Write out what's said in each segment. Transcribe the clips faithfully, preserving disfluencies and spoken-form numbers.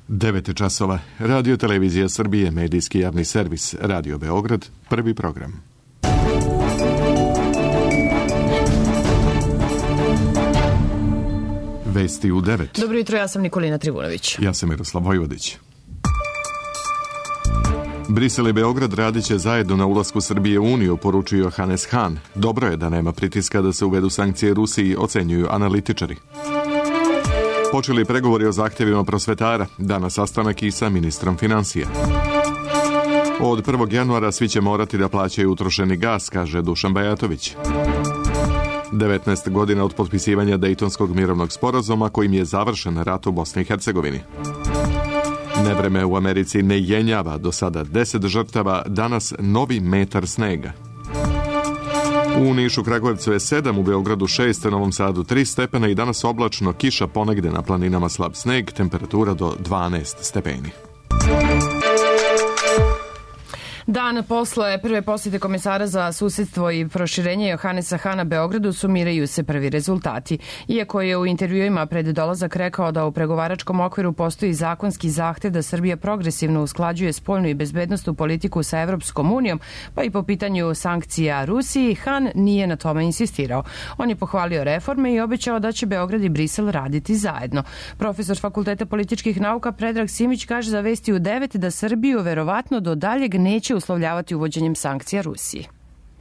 devet časova. Radio Televizija Srbije, medijski javni servis, Radio Beograd, prvi program. Vesti u devet. Dobro jutro, ja sam Nikolina Trivunović. Ja sam Miroslav Vojvodić. Brisel i Beograd radit će zajedno na ulasku Srbije u Uniju, poručio Hannes Hahn. Dobro je da nema pritiska da se uvedu sankcije Rusiji, ocenjuju analitičari. Počeli pregovori o zahtjevima prosvetara, danas sastanak i sa ministrom financija. Od prvog januara svi će morati da plaćaju utrošeni gas, kaže Dušan Bajatović. devetnaest godina od potpisivanja Dejtonskog mirovnog sporazuma kojim je završen rat u Bosni i Hercegovini. Nevreme u Americi ne jenjava, do sada deset žrtava, danas novi metar snega. U Nišu, Kragujevcu je sedam, u Beogradu šest, u Novom Sadu tri stepena i danas oblačno, kiša ponegde, na planinama slab sneg, temperatura do dvanaest stepeni. Dan posle prve posjete komesara za susedstvo i proširenje Johannesa Hahna Beogradu sumiraju se prvi rezultati. Iako je u intervjuima pred dolazak rekao da u pregovaračkom okviru postoji zakonski zahtev da Srbija progresivno usklađuje spoljnu i bezbednosnu politiku sa Evropskom unijom, pa i po pitanju sankcija Rusiji, Hahn nije na tome insistirao. On je pohvalio reforme i obećao da će Beograd i Brisel raditi zajedno. Profesor Fakulteta političkih nauka Predrag Simić kaže za Vesti u devet da Srbiju verovatno do daljeg neće uslovljavati uvođenjem sankcija Rusiji.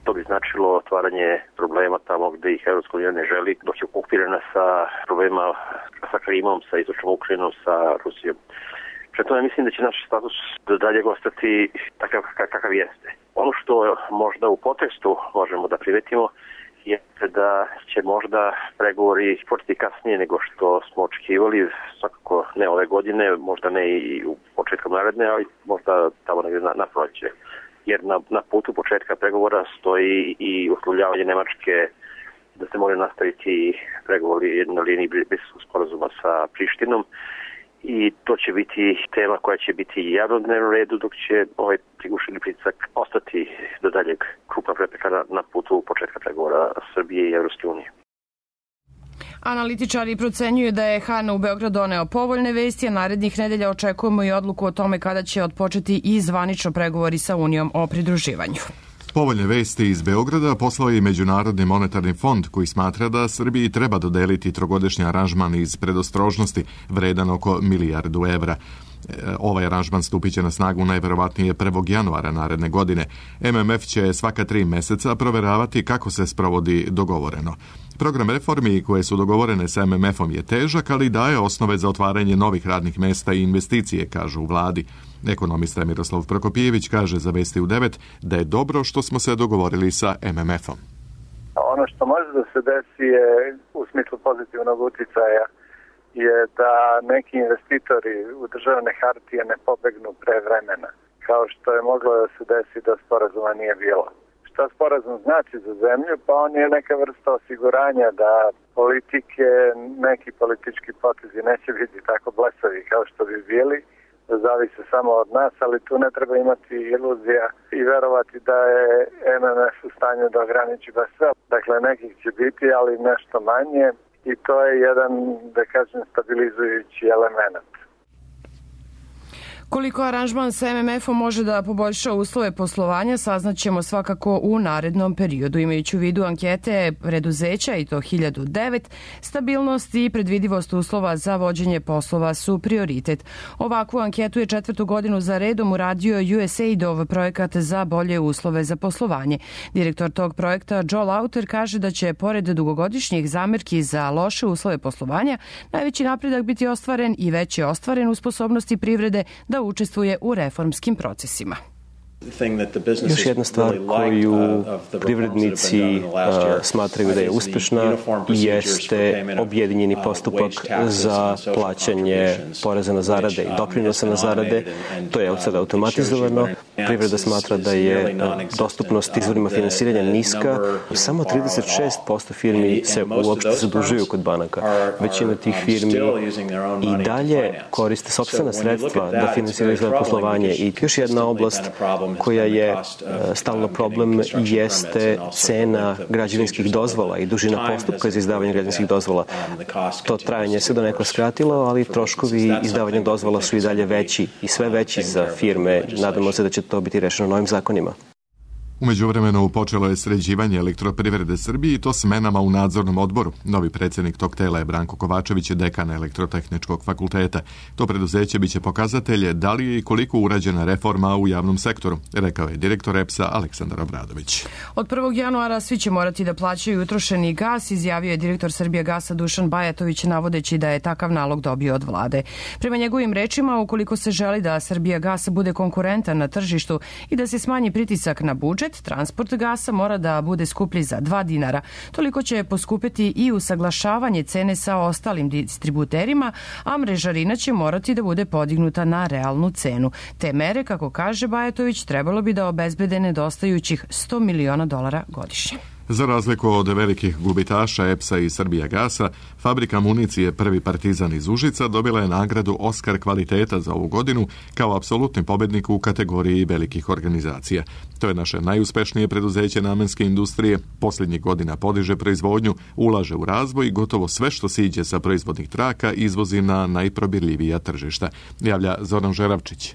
To bi značilo otvaranje problema tamo gde ih Evropska unija ne želi, dok je okupirana sa problema sa Krimom, sa istočnom Ukrajinom, sa Rusijom. Pre tome mislim da će naš status do daljeg ostati takav kakav jeste. Ono što možda u podtekstu možemo da primetimo je da će možda pregovori početi kasnije nego što smo očekivali, svakako ne ove godine, možda ne i u početkom naredne, ali možda tamo negdje na, na proleće. Jer na, na putu početka pregovora stoji i uslovljavanje Nemačke da se moraju nastaviti pregovori na liniji Briselskog sporazuma sa Prištinom i to će biti tema koja će biti javno na dnevnom redu, dok će ovaj prigušeni pritisak ostati do daljeg krupna prepreka na, na putu početka pregovora Srbije i Evropske unije. Analitičari procenjuju da je Hahn u Beograd doneo povoljne vesti, a narednih nedelja očekujemo i odluku o tome kada će otpočeti i zvanično pregovori sa Unijom o pridruživanju. Povoljne vesti iz Beograda poslao je Međunarodni monetarni fond koji smatra da Srbiji treba dodeliti trogodišnji aranžman iz predostrožnosti vredan oko milijardu evra. Ovaj aranžman stupit će na snagu najverovatnije prvog januara naredne godine. M M F će svaka tri meseca proveravati kako se sprovodi dogovoreno. Program reformi koje su dogovorene sa M M F-om je težak, ali daje osnove za otvaranje novih radnih mesta i investicije, kažu u vladi. Ekonomista Miroslav Prokopijević kaže za Vesti u devet da je dobro što smo se dogovorili sa M M F-om. Ono što može da se desi je u smislu pozitivnog uticaja je da neki investitori u državne hartije ne pobegnu pre vremena, kao što je moglo da se desi da sporazuma nije bilo. Šta sporazum znači za zemlju? Pa on je neka vrsta osiguranja da politike, neki politički potezi neće biti tako blesavi kao što bi bili, da zavise samo od nas, ali tu ne treba imati iluzija i verovati da je M M F u stanju da ograniči baš sve. Dakle, nekih će biti, ali nešto manje. I to je jedan, da kažem, stabilizujući element. Koliko aranžman sa M M F-om može da poboljša uslove poslovanja, saznaćemo svakako u narednom periodu. Imajući u vidu ankete preduzeća, i to hiljadu devet, stabilnost i predvidivost uslova za vođenje poslova su prioritet. Ovakvu anketu je četvrtu godinu za redom uradio U S A I D-ov projekat za bolje uslove za poslovanje. Direktor tog projekta Joe Lauter kaže da će, pored dugogodišnjih zamerki za loše uslove poslovanja, najveći napredak biti ostvaren i već je ostvaren u sposobnosti privrede da učestvuje u reformskim procesima. Još jedna stvar koju privrednici smatraju da je uspešna jeste objedinjeni postupak za plaćanje poreza na zarade i doprinosa na zarade. To je od sada automatizovano Privreda smatra da je dostupnost izvorima finansiranja niska. Samo trideset šest posto firmi se uopšte zadužuju kod banaka. Većina tih firmi i dalje koriste sopstvena sredstva da finansiraju svoje poslovanje. I još jedna oblast koja je stalno problem jeste cena građevinskih dozvola i dužina postupka za izdavanje građevinskih dozvola. To trajanje se donekle skratilo, ali troškovi izdavanja dozvola su i dalje veći i sve veći za firme. Nadamo se da će to biti rešeno novim zakonima. U međuvremenu počelo je sređivanje Elektroprivrede Srbije i to smenama u nadzornom odboru. Novi predsjednik tog tela je Branko Kovačević, dekan Elektrotehničkog fakulteta. To preduzeće biće pokazatelje da li je i koliko urađena reforma u javnom sektoru, rekao je direktor E P S-a Aleksandar Obradović. Od prvog januara svi će morati da plaćaju utrošeni gas, izjavio je direktor Srbijagasa Dušan Bajatović, navodeći da je takav nalog dobio od vlade. Prema njegovim rečima, ukoliko se želi da Srbijagas bude konkurentan na tržištu i da se smanji pritisak na budžet, transport gasa mora da bude skuplji za dva dinara. Toliko će poskupiti i usaglašavanje cene sa ostalim distributerima, a mrežarina će morati da bude podignuta na realnu cenu. Te mere, kako kaže Bajatović, trebalo bi da obezbede nedostajućih sto miliona dolara godišnje. Za razliku od velikih gubitaša E P S-a i Srbijagasa, fabrika municije Prvi Partizan iz Užica dobila je nagradu Oskar kvaliteta za ovu godinu kao apsolutni pobednik u kategoriji velikih organizacija. To je naše najuspešnije preduzeće namenske industrije. Posljednjih godina podiže proizvodnju, ulaže u razvoj i gotovo sve što siđe sa proizvodnih traka izvozi na najprobirljivija tržišta, javlja Zoran Žeravčić.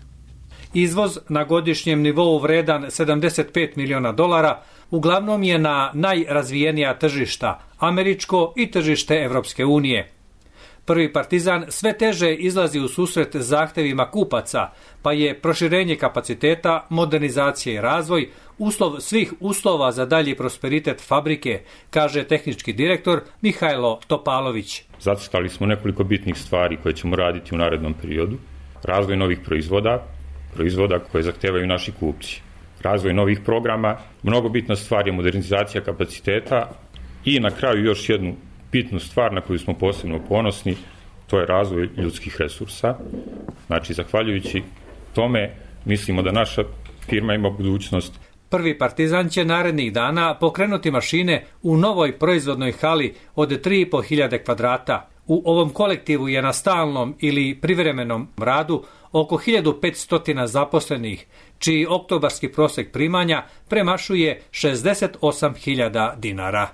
Izvoz na godišnjem nivou vredan sedamdeset pet miliona dolara uglavnom je na najrazvijenija tržišta, američko i tržište Evropske unije. Prvi Partizan sve teže izlazi u susret zahtevima kupaca, pa je proširenje kapaciteta, modernizacija i razvoj uslov svih uslova za dalji prosperitet fabrike, kaže tehnički direktor Mihajlo Topalović. Zacrtali smo nekoliko bitnih stvari koje ćemo raditi u narednom periodu. Razvoj novih proizvoda, proizvoda koje zahtevaju naši kupci. Razvoj novih programa, mnogo bitna stvar je modernizacija kapaciteta i na kraju još jednu bitnu stvar na koju smo posebno ponosni, to je razvoj ljudskih resursa. Znači, zahvaljujući tome, mislimo da naša firma ima budućnost. Prvi Partizan će narednih dana pokrenuti mašine u novoj proizvodnoj hali od tri i po hiljade kvadrata. U ovom kolektivu je na stalnom ili privremenom radu oko hiljadu petsto zaposlenih, čiji oktobarski prosek primanja premašuje šezdeset osam hiljada dinara.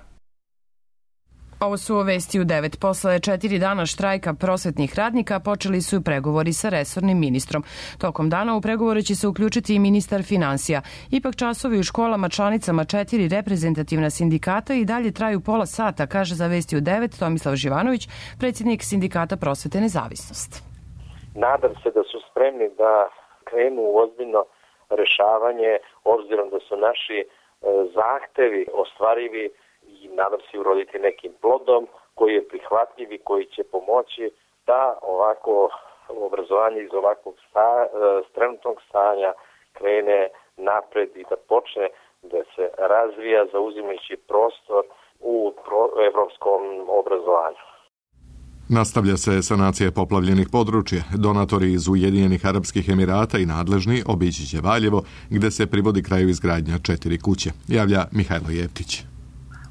Ovo su vesti u devet. Posle četiri dana štrajka prosvetnih radnika počeli su pregovori sa resornim ministrom. Tokom dana u pregovore će se uključiti i ministar finansija. Ipak časovi u školama članicama četiri reprezentativna sindikata i dalje traju pola sata, kaže za vesti u devet Tomislav Živanović, predsjednik sindikata Prosvete Nezavisnost. Nadam se da su spremni da krenu u ozbiljno rešavanje, obzirom da su naši zahtevi ostvarivi i nadam se uroditi nekim plodom koji je prihvatljiv i koji će pomoći da ovako obrazovanje iz ovakvog sta, trenutnog stanja krene napred i da počne da se razvija zauzimajući prostor u pro, evropskom obrazovanju. Nastavlja se sanacija poplavljenih područja. Donatori iz Ujedinjenih Arapskih Emirata i nadležni obići će Valjevo, gde se privodi kraju izgradnja četiri kuće, javlja Mihajlo Jeftić.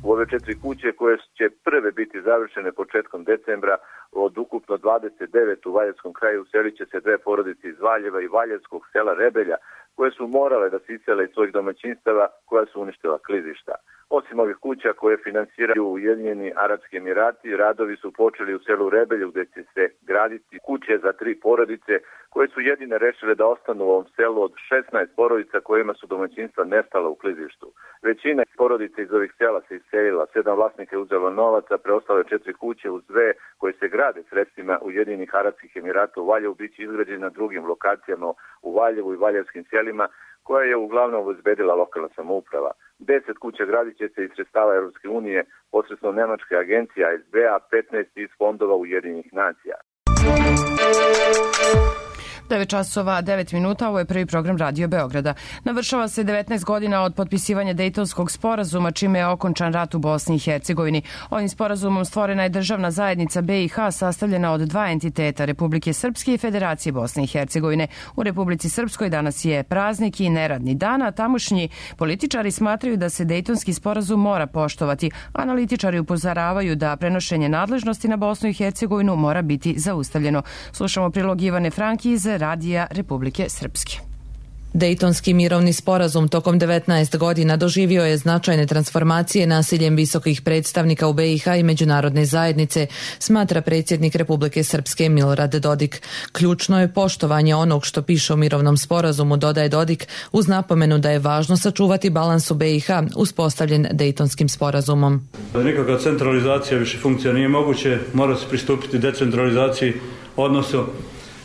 U ove četiri kuće koje će prve biti završene početkom decembra, od ukupno dvadeset devet u Valjevskom kraju uselit će se dve porodice iz Valjeva i Valjevskog sela Rebelja, koje su morale da se isele iz svojih domaćinstava koja su uništila klizišta. Osim ovih kuća koje finansiraju Ujedinjeni Arapski Emirati, radovi su počeli u selu Rebelju gde će se graditi kuće za tri porodice koje su jedine rešile da ostanu u ovom selu od šesnaest porodica kojima su domaćinstva nestala u klizištu. Većina porodica iz ovih sela se iselila, sedam vlasnika je uzelo novaca, preostale četiri kuće uz dve koje se grade sredstvima Ujedinjenih Arapskih Emirata u Valjevu biće izgrađene na drugim lokacijama u Valjevu i Valjevskim selima, koja je uglavnom obezbedila lokalna samouprava. Deset kuća gradit će se iz sredstava Evropske unije posredstvom nemačke agencije A S B, a petnaest iz fondova Ujedinjenih nacija. devet časova devet minuta, ovo je prvi program Radio Beograda. Navršava se devetnaest godina od potpisivanja Dejtonskog sporazuma, čime je okončan rat u Bosni i Hercegovini. Ovim sporazumom stvorena je državna zajednica B i H sastavljena od dva entiteta, Republike Srpske i Federacije Bosne i Hercegovine. U Republici Srpskoj danas je praznik i neradni dan, a tamošnji političari smatraju da se Dejtonski sporazum mora poštovati. Analitičari upozoravaju da prenošenje nadležnosti na Bosnu i Hercegovinu mora biti zaustavljeno. Slušamo prilog Ivane Franki iz Radija Republike Srpske. Dejtonski mirovni sporazum tokom devetnaest godina doživio je značajne transformacije nasiljem visokih predstavnika u B i H i međunarodne zajednice, smatra predsjednik Republike Srpske Milorad Dodik. Ključno je poštovanje onog što piše u mirovnom sporazumu, dodaje Dodik, uz napomenu da je važno sačuvati balans u B i H uspostavljen Dejtonskim sporazumom. Nikakva centralizacija više funkcija nije moguće, mora se pristupiti decentralizaciji, odnosno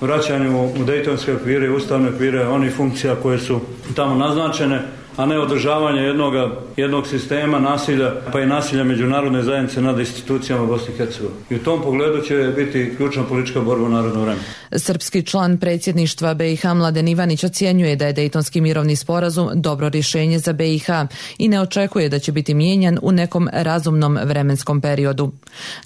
vraćanju u dejtonske okvire i ustavne okvire onih funkcija koje su tamo naznačene, a ne održavanje jednog, jednog sistema nasilja, pa i nasilja međunarodne zajednice nad institucijama Bosne i Hercegovine. I u tom pogledu će biti ključna politička borba u naredno vreme. Srpski član predsjedništva B i H Mladen Ivanić ocjenjuje da je Dejtonski mirovni sporazum dobro rješenje za B i H i ne očekuje da će biti mijenjan u nekom razumnom vremenskom periodu.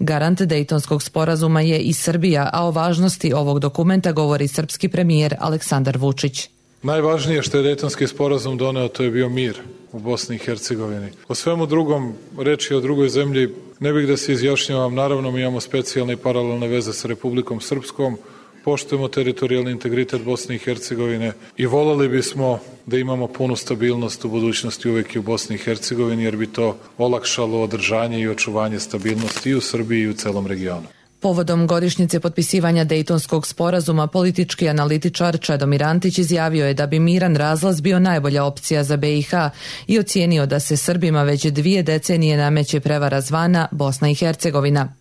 Garant Dejtonskog sporazuma je i Srbija, a o važnosti ovog dokumenta govori srpski premijer Aleksandar Vučić. Najvažnije što je Dejtonski sporazum doneo, to je bio mir u Bosni i Hercegovini. O svemu drugom, reči o drugoj zemlji, ne bih da se izjašnjavam. Naravno, mi imamo specijalne i paralelne veze sa Republikom Srpskom, poštujemo teritorijalni integritet Bosne i Hercegovine i voljeli bismo da imamo punu stabilnost u budućnosti uvek i u Bosni i Hercegovini, jer bi to olakšalo održanje i očuvanje stabilnosti i u Srbiji i u celom regionu. Povodom godišnjice potpisivanja Dejtonskog sporazuma, politički analitičar Čedomir Antić izjavio je da bi miran razlaz bio najbolja opcija za B i H i ocijenio da se Srbima već dvije decenije nameće prevara zvana Bosna i Hercegovina.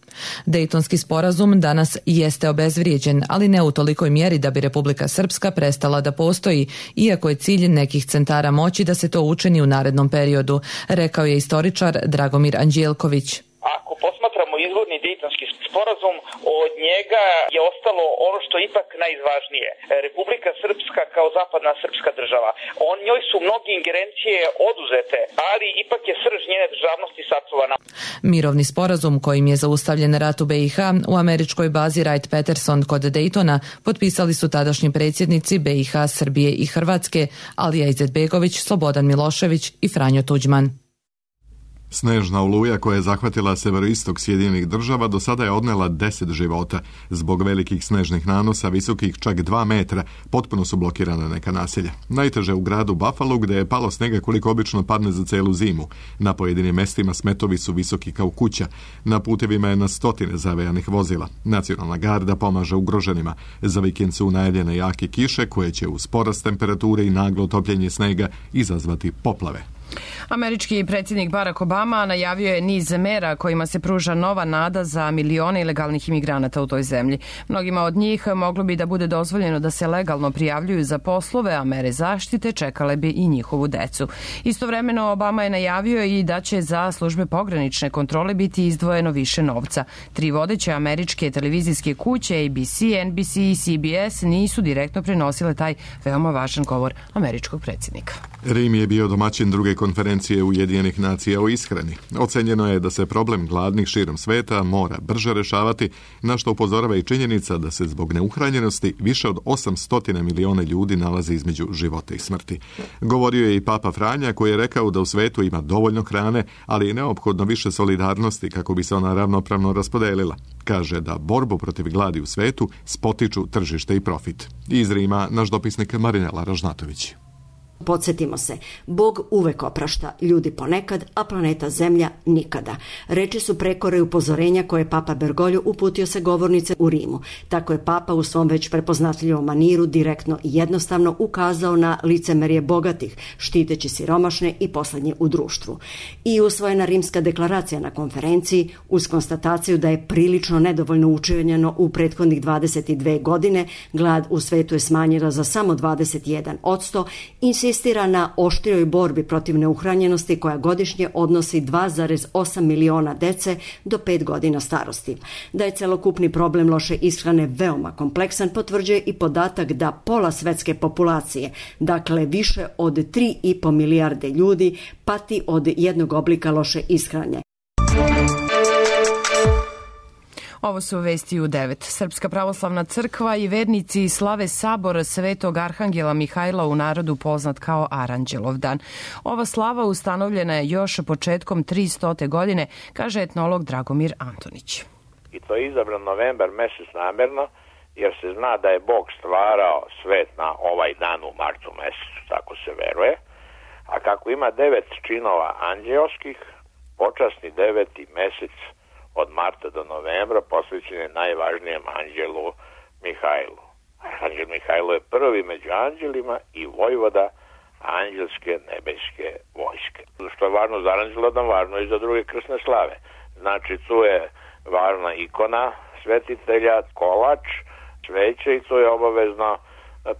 Dejtonski sporazum danas jeste obezvrijeđen, ali ne u tolikoj mjeri da bi Republika Srpska prestala da postoji, iako je cilj nekih centara moći da se to učini u narednom periodu, rekao je istoričar Dragomir Anđelković. Ako posmatramo izvorni Dejtonski sporazum, od njega je ostalo ono što je ipak najvažnije. Republika Srpska kao zapadna srpska država. On njoj su mnoge ingerencije oduzete, ali ipak je srž njene državnosti sačuvana. Mirovni sporazum kojim je zaustavljen rat u B i H u američkoj bazi Wright-Patterson kod Dejtona potpisali su tadašnji predsjednici B i H, Srbije i Hrvatske, Alija Izetbegović, Slobodan Milošević i Franjo Tuđman. Snežna oluja koja je zahvatila severoistok Sjedinjenih država do sada je odnela deset života. Zbog velikih snežnih nanosa, visokih čak dva metra, potpuno su blokirana neka naselja. Najteže u gradu Buffalo, gde je palo snega koliko obično padne za celu zimu. Na pojedinim mestima smetovi su visoki kao kuća. Na putevima je na stotine zavejanih vozila. Nacionalna garda pomaže ugroženima. Za vikend su najavljene jake kiše koje će uz porast temperature i naglo topljenje snega izazvati poplave. Američki predsjednik Barack Obama najavio je niz mera kojima se pruža nova nada za milione ilegalnih imigranata u toj zemlji. Mnogima od njih moglo bi da bude dozvoljeno da se legalno prijavljuju za poslove, a mere zaštite čekale bi i njihovu decu. Istovremeno Obama je najavio i da će za službe pogranične kontrole biti izdvojeno više novca. Tri vodeće američke televizijske kuće A B C, N B C i C B S nisu direktno prenosile taj veoma važan govor američkog predsjednika. Rim je bio domaćin druge konferencije Ujedinjenih nacija o ishrani. Ocenjeno je da se problem gladnih širom sveta mora brže rešavati, na što upozorava i činjenica da se zbog neuhranjenosti više od osamsto miliona ljudi nalazi između života i smrti. Govorio je i Papa Franja koji je rekao da u svetu ima dovoljno hrane, ali je neophodno više solidarnosti kako bi se ona ravnopravno raspodelila. Kaže da borbu protiv gladi u svetu spotiču tržište i profit. Iz Rima naš dopisnik Marinela Ražnatović. Podsjetimo se, Bog uvek oprašta, ljudi ponekad, a planeta Zemlja nikada. Reči su prekore upozorenja koje je Papa Bergoglio uputio se govornice u Rimu. Tako je Papa u svom već prepoznatljivom maniru direktno i jednostavno ukazao na licemerje bogatih, štiteći siromašne i poslednje u društvu. I usvojena Rimska deklaracija na konferenciji, uz konstataciju da je prilično nedovoljno učinjeno u prethodnih dvadeset dve godine, glad u svetu je smanjena za samo dvadeset jedan posto, insistira insistira na oštrijoj borbi protiv neuhranjenosti koja godišnje odnosi dva zarez osam miliona dece do pet godina starosti. Da je celokupni problem loše ishrane veoma kompleksan potvrđuje i podatak da pola svetske populacije, dakle više od tri i po milijarde ljudi, pati od jednog oblika loše ishrane. Ovo su vesti u devet. Srpska pravoslavna crkva i vernici slave sabor Svetog Arhangela Mihajla, u narodu poznat kao Aranđelov dan. Ova slava ustanovljena je još početkom tristote godine, kaže etnolog Dragomir Antonić. I to je izabran novembar mesec namerno, jer se zna da je Bog stvarao svet na ovaj dan u martu mesecu, tako se veruje. A kako ima devet činova anđeoskih, počasni deveti mesec od marta do novembra posvećen je najvažnijem anđelu Mihajlu. Anđel Mihajlo je prvi među anđelima i vojvoda anđelske nebeske vojske. Što je važno za Aranđelodan, važno i za druge krsne slave. Znači, tu je važna ikona svetitelja, kolač, sveće i to je obavezno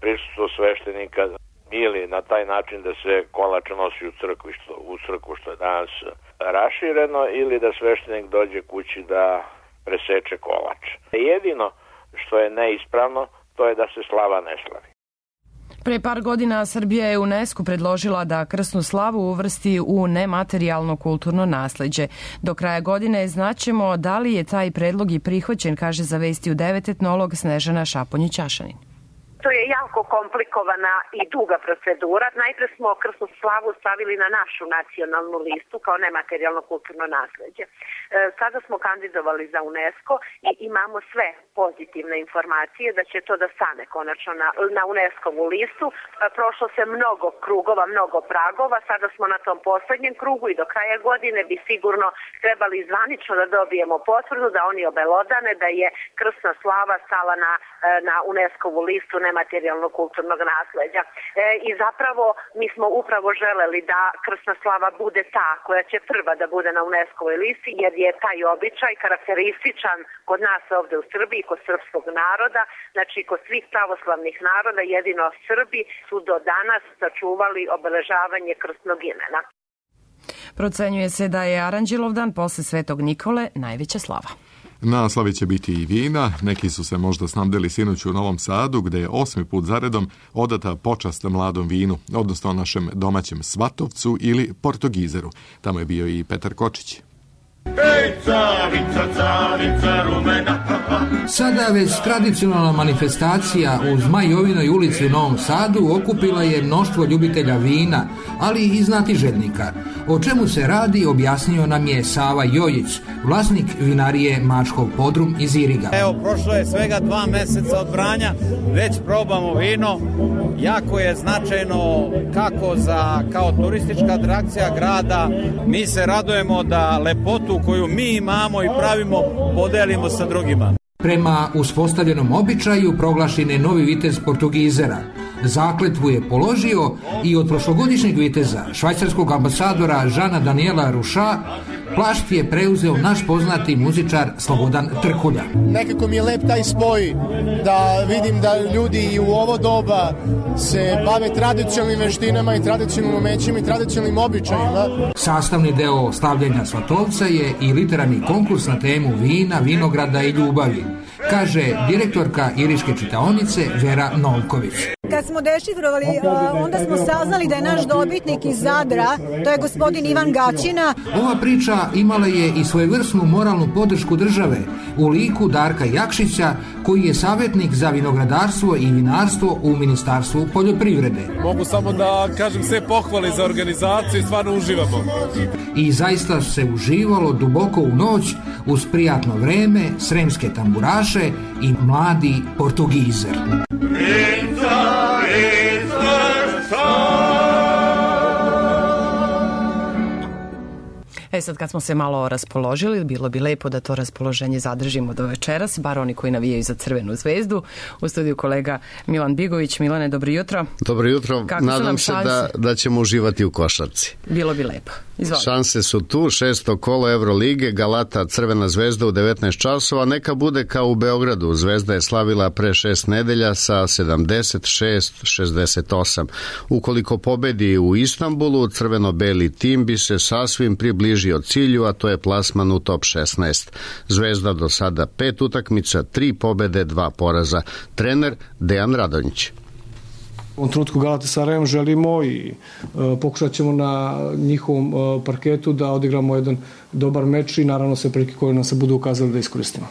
prisustvo sveštenika ili na taj način da se kolač nosi u crkvu, što, u crkvu što je danas rašireno, ili da sveštenik dođe kući da preseče kolač. Jedino što je neispravno, to je da se slava ne slavi. Pre par godina Srbija je UNESCO predložila da krsnu slavu uvrsti u nematerijalno kulturno nasleđe. Do kraja godine znaćemo da li je taj predlog i prihvaćen, kaže za Vesti u devet etnolog Snežana Šaponjić-Ćašanin. To je jako komplikovana i duga procedura. Najpre smo krsnu slavu stavili na našu nacionalnu listu kao nematerijalno kulturno nasleđe. E, sada smo kandidovali za UNESCO i imamo sve pozitivne informacije da će to da stane konačno na, na UNESCO-vu listu. E, prošlo se mnogo krugova, mnogo pragova, sada smo na tom poslednjem krugu i do kraja godine bi sigurno trebali zvanično da dobijemo potvrdu da oni obelodane da je krsna slava stala na, na UNESCO-vu listu nematerijalnog kulturnog nasleđa. E, I zapravo mi smo upravo želeli da krsna slava bude ta koja će prva da bude na UNESCO-voj listi, jer je taj običaj karakterističan kod nas ovde u Srbiji, kod srpskog naroda, znači kod svih pravoslavnih naroda, jedino Srbi su do danas sačuvali obeležavanje krsnog imena. Procenjuje se da je Aranđelov dan posle Svetog Nikole najveća slava. Na slavi će biti i vina. Neki su se možda snabdeli sinoć u Novom Sadu, gde je osmi put zaredom odata počast mladom vinu, odnosno našem domaćem Svatovcu ili Portogizeru. Tamo je bio i Petar Kočić. Ej, carica, carica rumena. Sada već tradicionalna manifestacija u Zmajovinoj ulici u Novom Sadu okupila je mnoštvo ljubitelja vina, ali i znatiželjnika. O čemu se radi objasnio nam je Sava Jojić, vlasnik vinarije Mačkov podrum iz Iriga. Evo, prošlo je svega dva meseca od branja, već probamo vino. Jako je značajno kako za kao turistička atrakcija grada. Mi se radujemo da lepotu koju mi imamo i pravimo podelimo sa drugima. Prema uspostavljenom običaju proglašen je novi vitez Portugizera. Zakletvu je položio i od prošlogodišnjeg viteza, švajcarskog ambasadora Žana Daniela Ruša, plašt je preuzeo naš poznati muzičar Slobodan Trkulja. Nekako mi je lep taj spoj da vidim da ljudi i u ovo doba se bave tradicionalnim veštinama i tradicionalnim umećima i tradicionalnim običajima. Sastavni deo slavljenja Svatovca je i literarni konkurs na temu vina, vinograda i ljubavi, kaže direktorka Iriške čitaonice Vera Novković. Kad smo dešifrovali, onda smo saznali da je naš dobitnik iz Zadra, to je gospodin Ivan Gaćina. Ova priča imala je i svojevrsnu moralnu podršku države u liku Darka Jakšića, koji je savjetnik za vinogradarstvo i vinarstvo u Ministarstvu poljoprivrede. Mogu samo da kažem sve pohvale za organizaciju i stvarno uživamo. I zaista se uživalo duboko u noć uz prijatno vreme, sremske tamburaše i mladi Portugizer. E sad kad smo se malo raspoložili, bilo bi lepo da to raspoloženje zadržimo do večeras, bar oni koji navijaju za Crvenu zvezdu. U studiju kolega Milan Bigović. Milane, dobro jutro. Dobro jutro. Kako nadam se da, da ćemo uživati u košarci. Bilo bi lepo. Izvolite. Šanse su tu, šesto kolo Evrolige, Galata Crvena zvezda u devetnaest časova, neka bude kao u Beogradu. Zvezda je slavila pre šest nedelja sa sedamdeset šest šezdeset osam. Ukoliko pobedi u Istanbulu, crveno-beli tim bi se sasvim približio cilju, a to je plasman u top šesnaest. Zvezda do sada pet utakmica, tri pobede, dva poraza. Trener Dejan Radonjić. U ovom trenutku Galatasarajem želimo i e, pokušat ćemo na njihovom e, parketu da odigramo jedan dobar meč i naravno sve prilike koje nam se budu ukazali da iskoristimo.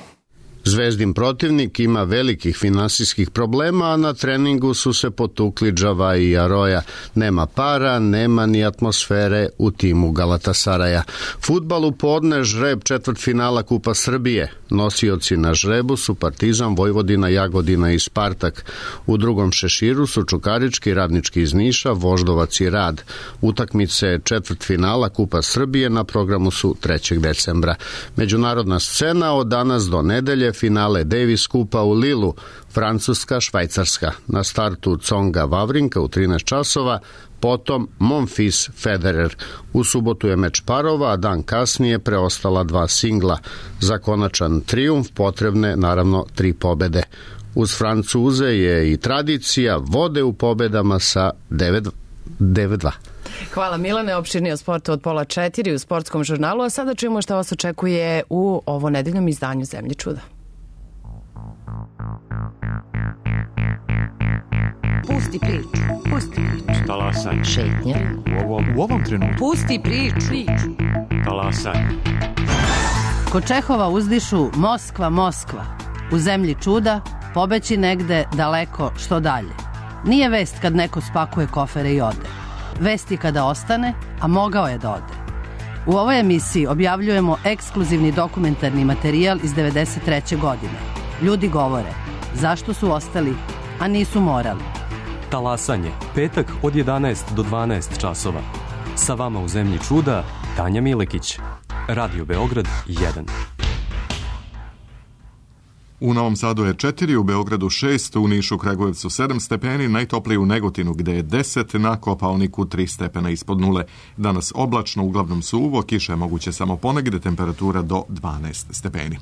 Zvezdin protivnik ima velikih finansijskih problema, a na treningu su se potukli Džava i Aroja. Nema para, nema ni atmosfere u timu Galatasaraja. Fudbal u podne, žreb četvrtfinala Kupa Srbije. Nosioci na žrebu su Partizan, Vojvodina, Jagodina i Spartak. U drugom šeširu su Čukarički, Radnički iz Niša, Voždovac i Rad. Utakmice četvrtfinala Kupa Srbije na programu su trećeg decembra. Međunarodna scena od danas do nedelje finale Davis Kupa u Lilu, Francuska, Švajcarska. Na startu Tsonga Vavrinka u trinaest časova, potom Monfils Federer. U subotu je meč parova, a dan kasnije preostala dva singla. Za konačan trijumf potrebne naravno tri pobede. Uz Francuze je i tradicija, vode u pobedama sa devet dva. Hvala Milane, opširnije o sportu od pola četiri u sportskom žurnalu, a sada čujemo šta vas očekuje u ovo nedeljnom izdanju Zemlje čuda. Pusti priču, pusti priču. Talasaj. Šetnja. U ovom, u ovom trenutku. Pusti priču. priču. Talasaj. Kod Čehova uzdišu Moskva, Moskva. U Zemlji čuda pobeći negde daleko što dalje. Nije vest kad neko spakuje kofere i ode. Vest je kada ostane, a mogao je da ode. U ovoj emisiji objavljujemo ekskluzivni dokumentarni materijal iz devedeset treće godine. Ljudi govore zašto su ostali, a nisu morali. Talasanje, petak od jedanaest do dvanaest časova. Sa vama u Zemlji čuda, Tanja Milekić. Radio Beograd jedan. U Novom Sadu je četiri, u Beogradu šest, u Nišu, Kragujevcu sedam stepeni, najtopliji u Negotinu gde je deset, na Kopaoniku tri stepena ispod nule. Danas oblačno, uglavnom suvo, kiša je moguće samo ponegde, temperatura do dvanaest stepeni.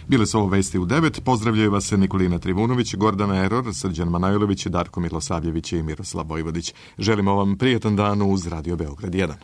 Bile su ovo vesti u devet, pozdravljaju vas Nikolina Trivunović, Gordana Eror, Srđan Manojlović, Darko Milosavljević i Miroslav Vojvodić. Želimo vam prijetan dan uz Radio Beograd jedan.